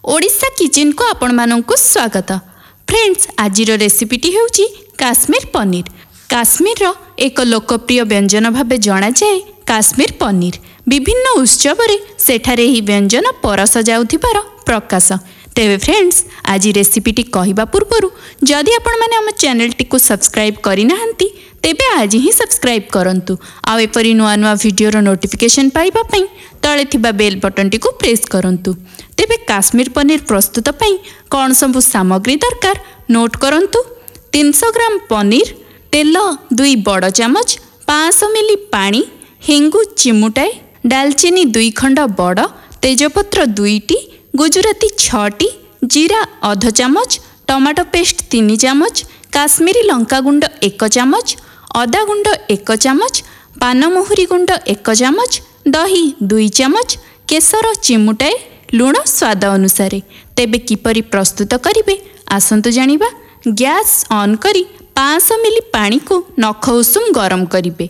ଓଡ଼ିଶା କିଚେନ୍କୁ ଆପଣମାନଙ୍କୁ ସ୍ୱାଗତ। ଫ୍ରେଣ୍ଡସ୍, ଆଜିର ରେସିପିଟି ହେଉଛି କାଶ୍ମୀର ପନିର। କାଶ୍ମୀରର ଏକ ଲୋକପ୍ରିୟ ବ୍ୟଞ୍ଜନ ଭାବେ ଜଣାଯାଏ କାଶ୍ମୀର ପନିର। ବିଭିନ୍ନ ଉତ୍ସବରେ ସେଠାରେ ଏହି ବ୍ୟଞ୍ଜନ ପରସା ଯାଉଥିବାର ପ୍ରକାଶ। ତେବେ ଫ୍ରେଣ୍ଡସ୍, ଆଜି ରେସିପିଟି କହିବା ପୂର୍ବରୁ ଯଦି ଆପଣମାନେ ଆମ ଚ୍ୟାନେଲଟିକୁ ସବସ୍କ୍ରାଇବ୍ କରିନାହାନ୍ତି, ତେବେ ଆଜି ହିଁ ସବସ୍କ୍ରାଇବ୍ କରନ୍ତୁ, ଆଉ ଏପରି ନୂଆ ନୂଆ ଭିଡ଼ିଓର ନୋଟିଫିକେସନ୍ ପାଇବା ପାଇଁ ତଳେ ଥିବା ବେଲ୍ ବଟନ୍ଟିକୁ ପ୍ରେସ୍ କରନ୍ତୁ। ତେବେ କାଶ୍ମୀର ପନିର ପ୍ରସ୍ତୁତ ପାଇଁ କ'ଣ ସବୁ ସାମଗ୍ରୀ ଦରକାର ନୋଟ୍ କରନ୍ତୁ। 300 ଗ୍ରାମ ପନିର, ତେଲ 2 ବଡ଼ ଚାମଚ, 500 ମିଲି ପାଣି, ହେଙ୍ଗୁ ଚିମୁଟାଏ, ଡାଲଚିନି 2 ଖଣ୍ଡ ବଡ଼, ତେଜପତ୍ର 2ଟି, ଗୁଜୁରାତି 6ଟି, ଜିରା ଅଧ ଚାମଚ, ଟମାଟୋ ପେଷ୍ଟ 3 ଚାମଚ, କାଶ୍ମୀରୀ ଲଙ୍କାଗୁଣ୍ଡ 1 ଚାମଚ, ଅଦା ଗୁଣ୍ଡ 1 ଚାମଚ, ପାନମହୁରି ଗୁଣ୍ଡ 1 ଚାମଚ, ଦହି 2 ଚାମଚ, କେଶର ଚିମୁଟାଏ, ଲୁଣ ସ୍ୱାଦ ଅନୁସାରେ। ତେବେ କିପରି ପ୍ରସ୍ତୁତ କରିବେ ଆସନ୍ତୁ ଜାଣିବା। ଗ୍ୟାସ୍ ଅନ୍ କରି 500 ମିଲି ପାଣିକୁ ନଖ ଉଷୁମ ଗରମ କରିବେ।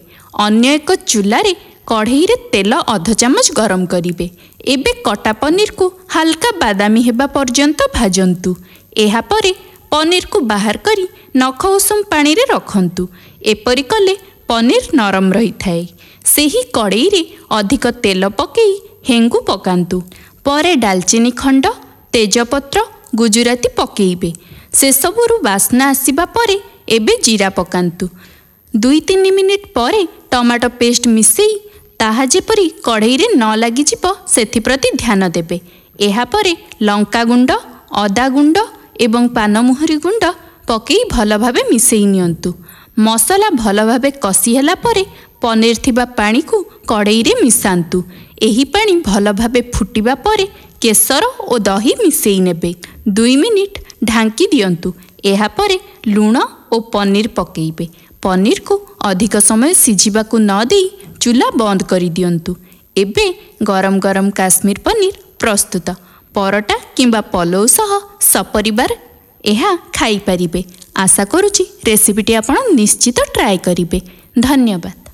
ଅନ୍ୟ ଏକ ଚୁଲାରେ କଢ଼େଇରେ ତେଲ ଅଧ ଚାମଚ ଗରମ କରିବେ। ଏବେ କଟା ପନିରକୁ ହାଲକା ବାଦାମୀ ହେବା ପର୍ଯ୍ୟନ୍ତ ଭାଜନ୍ତୁ। ଏହାପରେ ପନିରକୁ ବାହାର କରି ନଖ ଉଷୁମ ପାଣିରେ ରଖନ୍ତୁ। ଏପରି କଲେ ପନିର ନରମ ରହିଥାଏ। ସେହି କଡ଼େଇରେ ଅଧିକ ତେଲ ପକାଇ ହେଙ୍ଗୁ ପକାନ୍ତୁ। ପରେ ଡାଲଚିନି ଖଣ୍ଡ, ତେଜପତ୍ର, ଗୁଜୁରାତି ପକାଇବେ। ସେସବୁରୁ ବାସ୍ନା ଆସିବା ପରେ ଏବେ ଜିରା ପକାନ୍ତୁ। 2-3 ମିନିଟ୍ ପରେ ଟମାଟୋ ପେଷ୍ଟ ମିଶାଇ ତାହା ଯେପରି କଢ଼େଇରେ ନ ଲାଗିଯିବ ସେଥିପ୍ରତି ଧ୍ୟାନ ଦେବେ। ଏହାପରେ ଲଙ୍କାଗୁଣ୍ଡ, ଅଦା ଗୁଣ୍ଡ ଏବଂ ପାନମହୁରି ଗୁଣ୍ଡ ପକାଇ ଭଲ ଭାବେ ମିଶାଇ ନିଅନ୍ତୁ। ମସଲା ଭଲ ଭାବେ କଷି ହେଲା ପରେ ପନିର ଥିବା ପାଣିକୁ କଢ଼େଇରେ ମିଶାନ୍ତୁ। ଏହି ପାଣି ଭଲ ଭାବେ ଫୁଟିବା ପରେ କେଶର ଓ ଦହି ମିଶାଇ ନେବେ। 2 ମିନିଟ୍ ଢାଙ୍କି ଦିଅନ୍ତୁ। ଏହାପରେ ଲୁଣ ଓ ପନିର ପକାଇବେ। ପନିରକୁ ଅଧିକ ସମୟ ସିଝିବାକୁ ନ ଦେଇ ଚୁଲା ବନ୍ଦ କରିଦିଅନ୍ତୁ। ଏବେ ଗରମ ଗରମ କାଶ୍ମୀର ପନିର ପ୍ରସ୍ତୁତ। ପରଟା କିମ୍ବା ପଲଉ ସହ ସପରିବାର ଏହା ଖାଇପାରିବେ। ଆଶା କରୁଛି ରେସିପିଟି ଆପଣ ନିଶ୍ଚିତ ଟ୍ରାଏ କରିବେ। ଧନ୍ୟବାଦ।